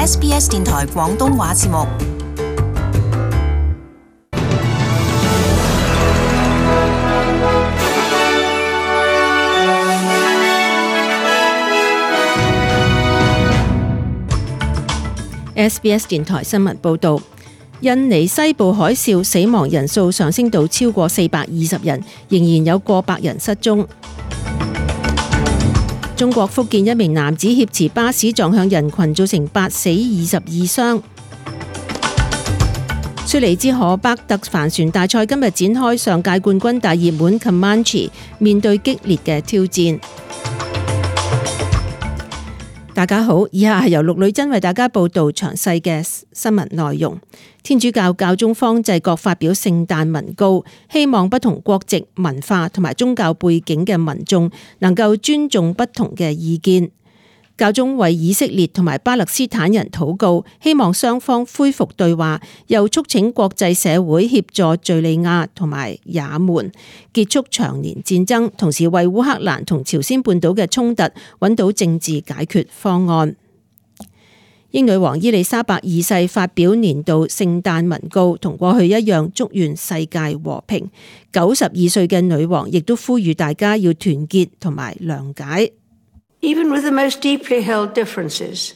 SBS 電台廣東話節目。SBS 電台新聞報導，印尼西部海嘯死亡人數上升到超過420人，仍然有過百人失蹤。中國福建一名男子挾持巴士撞向人群，造成8死22傷。雪梨之河伯特帆船大賽今日展開，上屆冠軍大熱門 Comanche 面對激烈嘅挑戰。大家好，以下係由陸女真為大家報道詳細嘅新聞內容。天主教教宗方濟各發表聖誕文告，希望不同國籍、文化同埋宗教背景嘅民眾能夠尊重不同嘅意見。教宗為以色列同埋巴勒斯坦人禱告，希望雙方恢復對話，又促請國際社會協助敘利亞同埋也門結束長年戰爭，同時為烏克蘭同朝鮮半島嘅衝突揾到政治解決方案。英女王伊麗莎白二世發表年度聖誕文告，同過去一樣祝願世界和平。92歲嘅女王亦都呼籲大家要團結同埋諒解。Even with the most deeply held differences,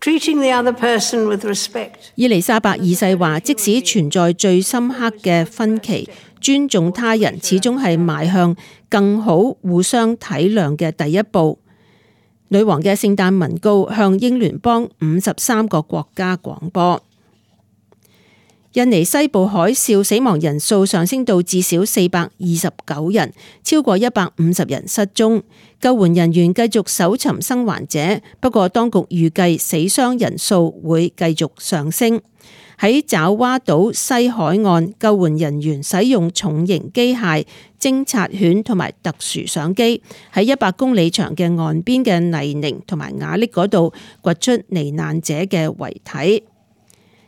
treating the other person with respect. 伊麗莎白二世話，即使存在最深刻嘅分歧，尊重他人始終係邁向更好互相體諒嘅第一步。女王嘅聖誕文告向英聯邦53個國家廣播。印尼西部海嘯死亡人數上升到至少429人，超過150人失蹤。救援人員繼續搜尋生還者，不過當局預計死傷人數會繼續上升。喺爪哇島西海岸，救援人員使用重型機械、偵察犬同埋特殊相機，喺100公里長嘅岸邊嘅泥濘同埋瓦礫嗰度掘出罹難者嘅遺體。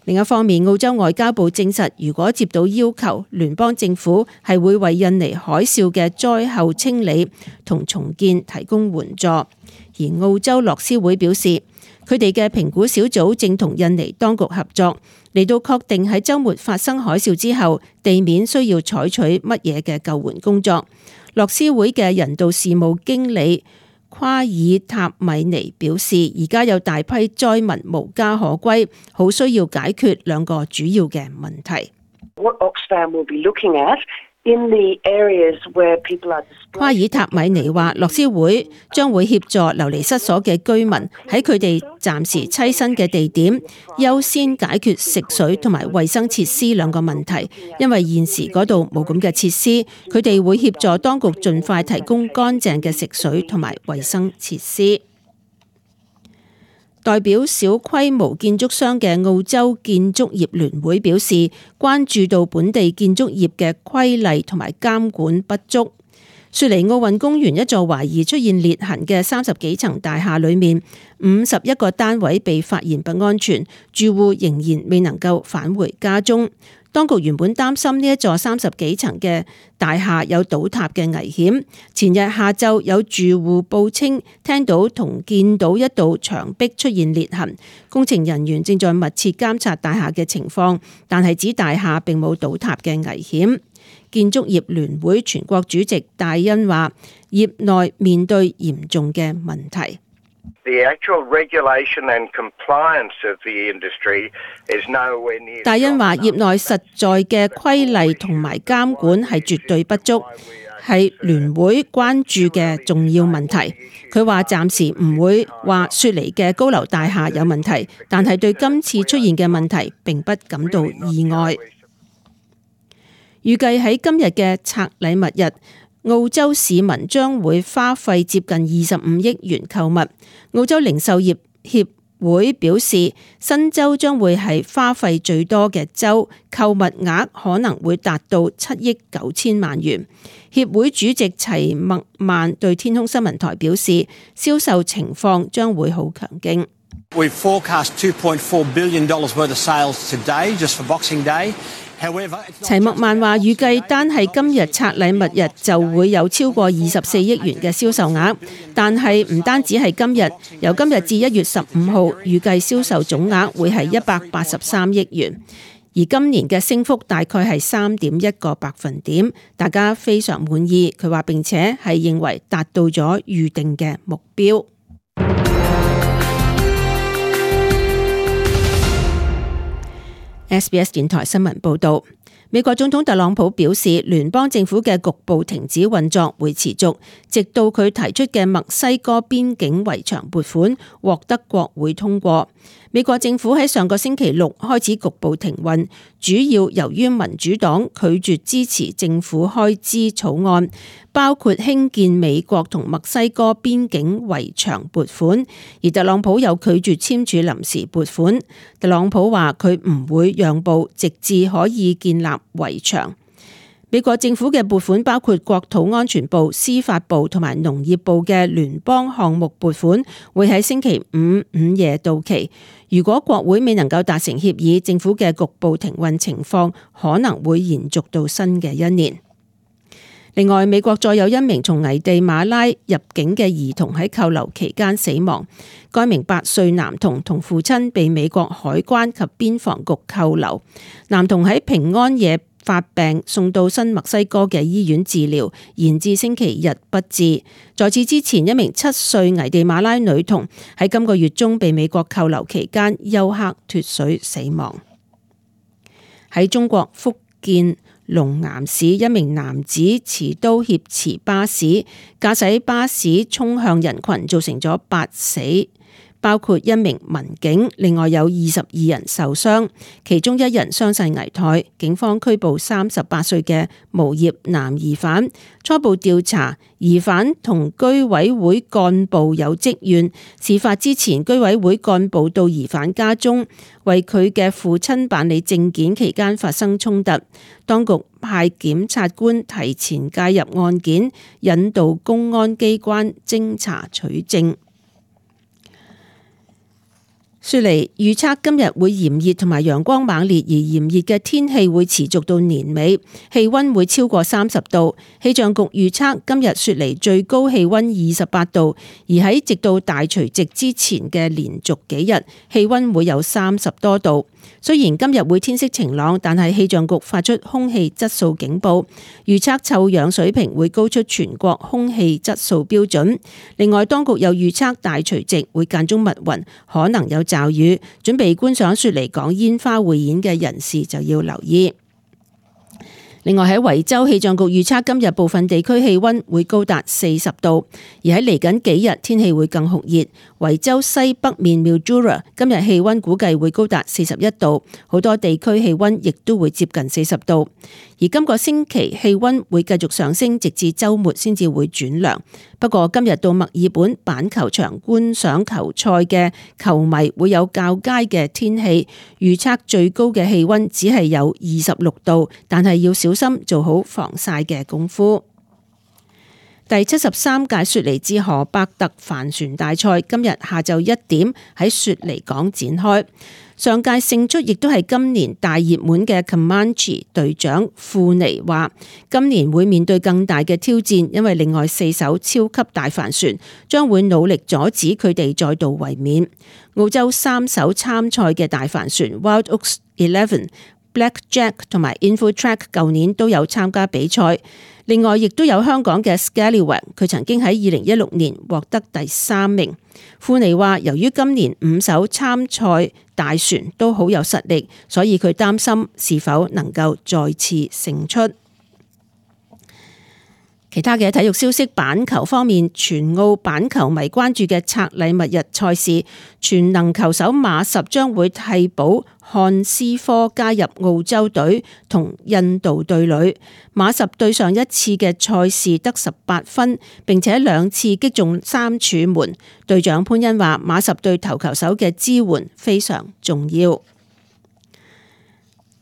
另一方面，澳洲外交部證實，如果接到要求，聯邦政府係會為印尼海嘯嘅災後清理同重建提供援助。而澳洲樂施會表示，佢哋嘅評估小組正同印尼當局合作，嚟到確定喺週末發生海嘯之後，地面需要採取乜嘢嘅救援工作。樂施會嘅人道事務經理夸爾塔米尼表示，而家有大批災民無家可歸，好需要解決2個主要嘅問題。夸爾塔米尼話，樂施會將會協助流離失所嘅居民喺佢哋暫時棲身嘅地點，優先解決食水同埋衛生設施2個問題，因為現時嗰度冇咁嘅設施，佢哋會協助當局盡快提供乾淨嘅食水同埋衛生設施。代表小規模建築商嘅澳洲建築業聯會表示，關注到本地建築業嘅規例同埋監管不足。雪梨奧運公園一座懷疑出現裂痕嘅30幾層大廈裏面，51個單位被發現不安全，住戶仍然未能夠返回家中。當局原本擔心呢一座30幾層嘅大廈有倒塌嘅危險。前日下晝有住戶報稱聽到同見到一道牆壁出現裂痕，工程人員正在密切監察大廈嘅情況，但係指大廈並冇倒塌嘅危險。建築業聯會全國主席戴恩話，業內面對嚴重嘅問題。戴恩話，業內實在嘅規例同埋監管係絕對不足，係聯會關注嘅重要問題。佢話暫時唔會話雪梨嘅高樓大廈有問題，但係對今次出現嘅問題並不感到意外。預計喺今日嘅拆禮物日，澳洲市民將會花費接近25億元購物。澳洲零售業協會表示，新州將會係花費最多嘅州，購物額可能會達到7億9千萬元。協會主席齊麥曼對天空新聞台表示，銷售情況將會好強勁。We forecast $2.4 billion worth of sales today just for Boxing Day. 齊默曼話預計單係今日拆禮物日就會有超過24億元嘅銷售額，但係唔單止係今日，由今日至1月15號預計銷售總額會係183億元，而今年嘅升幅大概係3.1個百分點，大家非常滿意。佢話並且係認為達到咗預定嘅目標。SBS 電台新聞報道，美國總統特朗普表示，聯邦政府嘅局部停止運作會持續，直到佢提出嘅墨西哥邊境圍牆撥款獲得國會通過。美國政府喺上個星期六開始局部停運，主要由於民主黨拒絕支持政府開支草案，包括興建美國同墨西哥邊境圍牆撥款，而特朗普又拒絕簽署臨時撥款。特朗普話佢唔會讓步，直至可以建立圍牆。美國政府嘅撥款包括國土安全部、司法部同埋農業部嘅聯邦項目撥款，會喺星期五午夜到期。如果國會未能夠達成協議，政府嘅局部停運情況可能會延續到新嘅一年。另外，美國再有一名從危地馬拉入境嘅兒童喺扣留期間死亡。該名8歲男童同父親被美國海關及邊防局扣留。男童喺平安夜發病，送到新墨西哥嘅醫院治療，延至星期日不治。在此之前，一名7歲危地馬拉女童喺今個月中被美國扣留期間休克脫水死亡。喺中國福建龍岩市，一名男子持刀挾持巴士，駕駛巴士衝向人群，造成咗8死，包括一名民警，另外有22人受傷，其中1人傷勢危殆。警方拘捕38歲嘅無業男疑犯，初步調查，疑犯同居委會幹部有積怨。事發之前，居委會幹部到疑犯家中為佢嘅父親辦理證件期間發生衝突，當局派檢察官提前介入案件，引導公安機關偵查取證。雪梨預測今日會炎熱同埋陽光猛烈，而炎熱嘅天氣會持續到年尾，氣溫會超過30度。氣象局預測今日雪梨最高氣溫28度，而喺直到大除夕之前嘅連續幾日，氣溫會有30多度。雖然今日會天色晴朗，但係氣象局發出空氣質素警報，預測臭氧水平會高出全國空氣質素標準。另外，當局又預測大除夕會間中密雲，可能有驟雨。準備觀賞雪梨港煙花匯演嘅人士就要留意。另外喺維州，氣象局預測今日部分地區氣溫會高達40度，而喺嚟緊幾日天氣會更酷熱。維州西北面 Mildura 今日氣溫估計會高達41度，好多地區氣溫亦都會接近40度。而今個星期氣溫會繼續上升，直至週末先至會轉涼。不過今日到墨爾本板球場觀賞球賽嘅球迷會有較佳嘅天氣，預測最高嘅氣溫只係有26度，但係要小心做好防曬嘅功夫。第73屆雪梨至河伯特帆船大賽今日下晝1點喺雪梨港展開。上屆勝出亦都係今年大熱門嘅 Comanche 隊長庫尼話，今年會面對更大嘅挑戰，因為另外4艘超級大帆船將會努力阻止佢哋再度衛冕。澳洲3艘參賽嘅大帆船 Wild Oaks 11、Blackjack 同埋 Infotrack 舊年都有參加比賽。另外，亦都有香港嘅 Scallywag， 佢曾經喺2016年獲得第3名。庫尼話，由於今年5艘參賽大船都好有實力，所以佢擔心是否能夠再次勝出。其他嘅體育消息，板球方面，全澳板球迷關注嘅拆禮物日賽事，全能球手馬什將會替補漢斯科加入澳洲隊同印度隊裏。馬什對上一次嘅賽事得18分，並且2次擊中3柱門。隊長潘恩話，馬什對投球手嘅支援非常重要。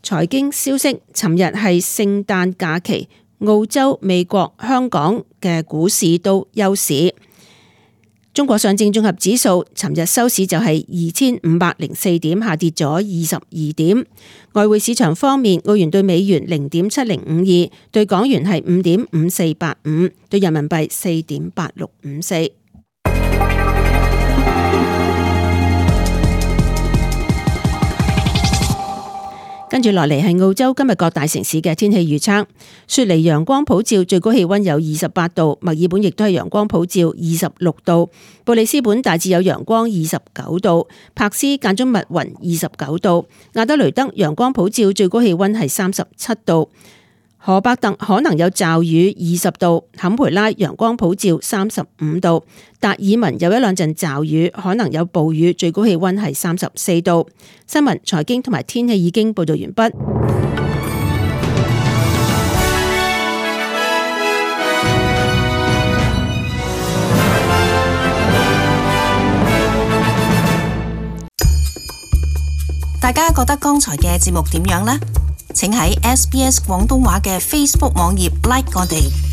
財經消息，尋日係聖誕假期。澳洲、美國、香港嘅股市都休市。中國上證綜合指數尋日收市就係2504點，下跌咗22點。外匯市場方面，澳元對美元0.7052，對港元係5.5485，對人民幣4.8654。跟住落嚟係澳洲今日各大城市嘅天氣預測。雪梨陽光普照，最高氣溫有28度；墨爾本亦都係陽光普照26度；布里斯本大致有陽光29度；柏斯間中密雲29度；亞德雷德陽光普照，最高氣溫係37度；荷伯特可能有驟雨20度；坎培拉陽光普照35度；達爾文有一兩陣驟雨，可能有暴雨，最高氣溫係34度。新聞、財經同埋天氣已經報道完畢。大家覺得剛才嘅節目點樣呢？請喺SBS 廣東話嘅 Facebook 網頁 like 我哋。